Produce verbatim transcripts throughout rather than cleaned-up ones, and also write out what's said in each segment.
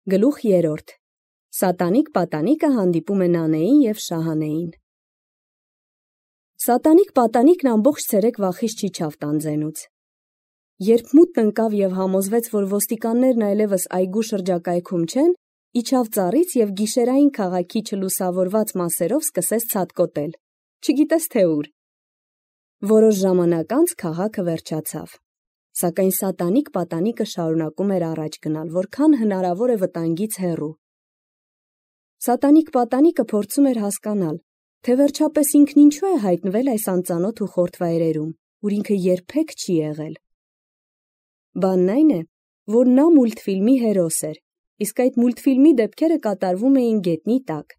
Գլուխ երրորդ. Սատանիկ պատանիկը հանդիպում է Նանեին և Շահանեին։ Սատանիկ պատանիկն ամբողջ ցերեկ վախից չիջավ տանձենուց։ Երբ մութն ընկավ և համոզվեց, որ ոստիկաններն այլևս այգու շրջակայքում չեն, իջավ ծառից և գիշերային քաղաքի չլուսավորված մասերով սկսեց ցատկոտել, չգիտես թե ուր։ Որոշ ժամանակ անց քաղաքը վերջացավ, սակայն սատանիկ պատանիկը շարունակում էր առաջ գնալ, որքան հնարավոր է վտանգից հեռու։ Սատանիկ պատանիկը փորձում էր հասկանալ, թե վերջապես ինքն ինչու է հայտնվել այս անծանոթ ու խորթ վայրերում, ուր ինքը երբեք չի եղել։ Բանն այն է, որ նա մուլտֆիլմի հերոս էր, իսկ այդ մուլտֆիլմի դեպքերը կատարվում էին գետնի տակ,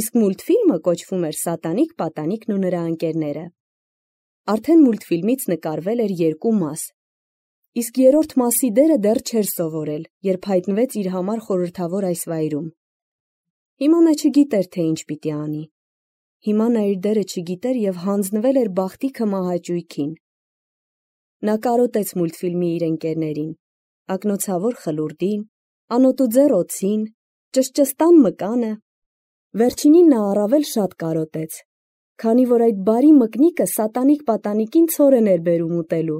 իսկ մուլտֆիլմը կոչվում էր Սատանիկ պատանիկն ու նրա ընկերները։ Արդեն մուլտֆիլմից նկարվել էր երկու մաս, իսկ երրորդ մասի դերը դեռ չէր սովորել, երբ հայտնվեց իր համար խորհրդավոր այս վայրում։ Հիմա նա չգիտեր, թե ինչ պիտի անի։ Հիմա նա իր դերը չգիտեր և հանձնվել էր բախտիքը մահաճույքին։ Նա կարոտեց մուլտֆիլմի իր ընկերներին, ակնոցավոր խլուրդին, անոտուձեռ օձին, ճշճստան մկանը։ Վերջինին նա առավել շատ կարոտեց, քանի որ այդ բարի մկնիկը սատանիկ պատանիկին ցորեն էր բերում ուտելու։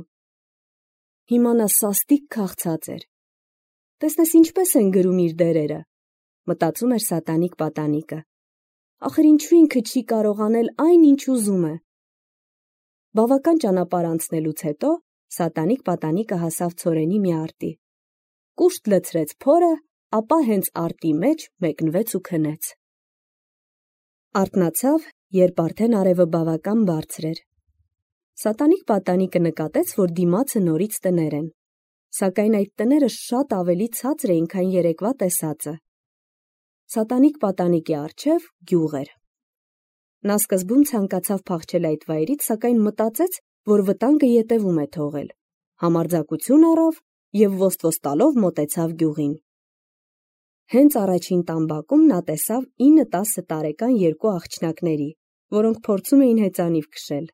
Հիմա նա սաստիկ քաղցած էր։ Տեսնես ինչպես են գրում իր դերերը, մտածում էր սատանիկ պատանիկը։ Ախր ինչու ինքը չի կարող անել այն, ինչ ուզում է։ Բավական ճանապարհ անցնելուց հետո սատանիկ պատանիկը հասավ ցորենի մի արտի։ Կուշտ լցրեց փորը, ապա հենց արտի մեջ մեկնվեց ու քնեց։ Արթնացավ, երբ արդեն արևը բավական բարձր էր։ Սատանիկ պատանիկը նկատեց, որ դիմացը նորից տներ են, սակայն այդ տները շատ ավելի ցածր էին, քան երեկվա տեսածը։ Սատանիկ պատանիկի առջև գյուղ էր։ Նա սկզբում ցանկացավ փախչել այդ վայրից, սակայն մտածեց, որ վտանգը ետևում է թողել, համարձակություն առավ և ոստվոս տալով մոտեցավ գյուղին։ Հենց առաջին տամբակում նա տեսավ ինը-տասը տարեկան երկու աղջնակների, որոնք փորձում էին հեծանիվ քշել։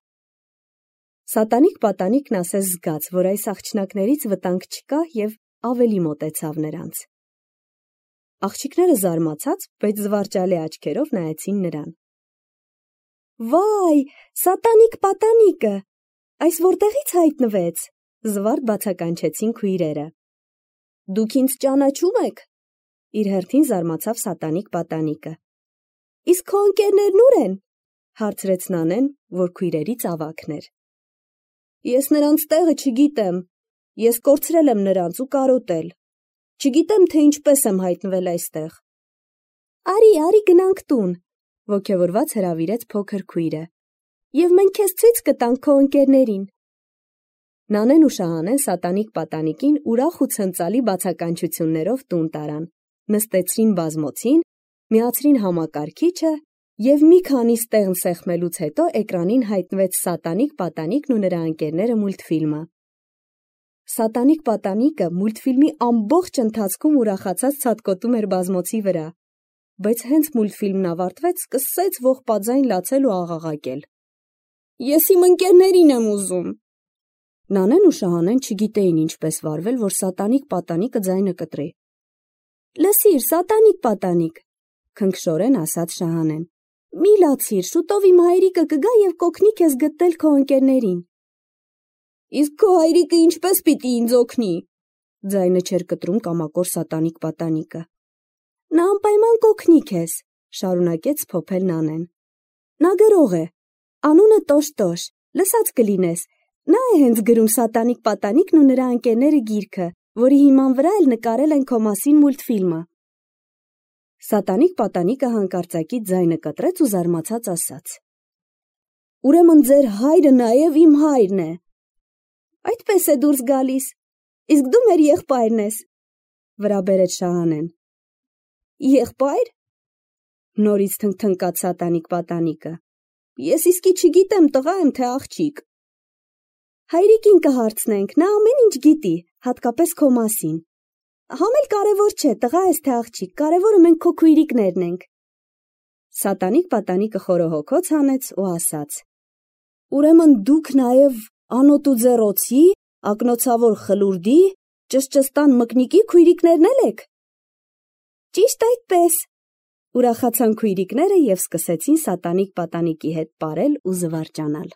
Սատանիկ պատանիկն ասես զգաց, որ այս աղջնակներից վտանգ չկա և ավելի մոտեցավ նրանց։ Աղջիկները զարմացած, բայց զվարճալի աչքերով նայեցին նրան։ Վայ, սատանիկ պատանիկը, այս որտեղից հայտնվեց, զվարթ բացականչեցին քույրերը։ Դուք ինձ ճանաչում եք, իր հերթին զարմացավ սատանիկ պատանիկը։ Իսկ քո ընկերներն ուր են, հարցրեց Նանեն, որ քույրերից ավագն էր։ Ես նրանց տեղը չգիտեմ, ես կորցրել եմ նրանց ու կարոտել։ Չգիտեմ, թե ինչպես եմ հայտնվել այստեղ։ Արի, արի գնանք տուն, ոգևորված հրավիրեց փոքր քույրը։ Եվ մենք քեզ ցույց կտանք քո ընկերներին։ Նանեն ու Շահանեն սատանիկ պատանիկին ուրախ ու ցնծալի բացականչություններով տուն տարան, նստեցրին բազմոցին, միացրին համակարգիչը և մի քանի ստեղն սեղմելուց հետո էկրանին հայտնվեց Սատանիկ պատանիկն ու նրա ընկերները մուլտֆիլմը։ Սատանիկ պատանիկը մուլտֆիլմի ամբողջ ընթացքում ուրախացած ցատկոտում էր բազմոցի վրա, բայց հենց մուլտֆիլմն ավարտվեց, սկսեց ողբաձայն լացել ու աղաղակել։ Ես իմ ընկերներին եմ ուզում։ Նանեն ու Շահանեն չգիտեին ինչպես վարվել, որ սատանիկ պատանիկը ձայնը կտրի։ Լսիր, սատանիկ պատանիկ, քնքշորեն ասաց Շահանեն։ Մի լացիր, շուտով իմ հայրիկը կգա և կօգնի քեզ գտնել քո ընկերներին։ Իսկ քո հայրիկը ինչպես պիտի ինձ օգնի, ձայնը չէր կտրում կամակոր սատանիկ պատանիկը։ Նա անպայման կօգնի քեզ, շարունակեց փոփել Նանեն։ Նա գրող է, անունը Տոշ-Տոշ, լսած կլինես, նա է հենց գրում Սատանիկ պատանիկն ու նրա ընկերները գիրքը, որի հիման վրա էլ նկարել են քո մասին մուլտֆիլմը։ Սատանիկ պատանիկը հանկարծակի ձայնը կտրեց ու զարմացած ասաց. Ուրեմն ձեր հայրը նաև իմ հայրն է։ Այդպես է դուրս գալիս, իսկ դու մեր եղբայրն ես, վրա բերեց Շահանեն։ Եղբայր։ Նորից թնգթնկաց սատանիկ պատանիկը։ Ես իսկի չգիտեմ տղա եմ, թե աղջիկ։ Հայրիկին կհարցնենք, նա ամեն ինչ գիտի, հատկապես քո մասին։ Համ էլ կարևոր չէ, տղա ես թե աղջիկ, կարևորը մենք քո քույրիկներն ենք։ Սատանիկ պատանիկը խորոհոքոց հանեց ու ասաց. Ուրեմն դուք նաև անոտուձեռ օձի, ակնոցավոր խլուրդի, ճշճստան մկնիկի քույրիկներն էլ եք։ Ճիշտ այդպես, ուրախացան քույրիկները և սկսեցին սատանիկ պատանիկի հետ պարել ու զվարճանալ։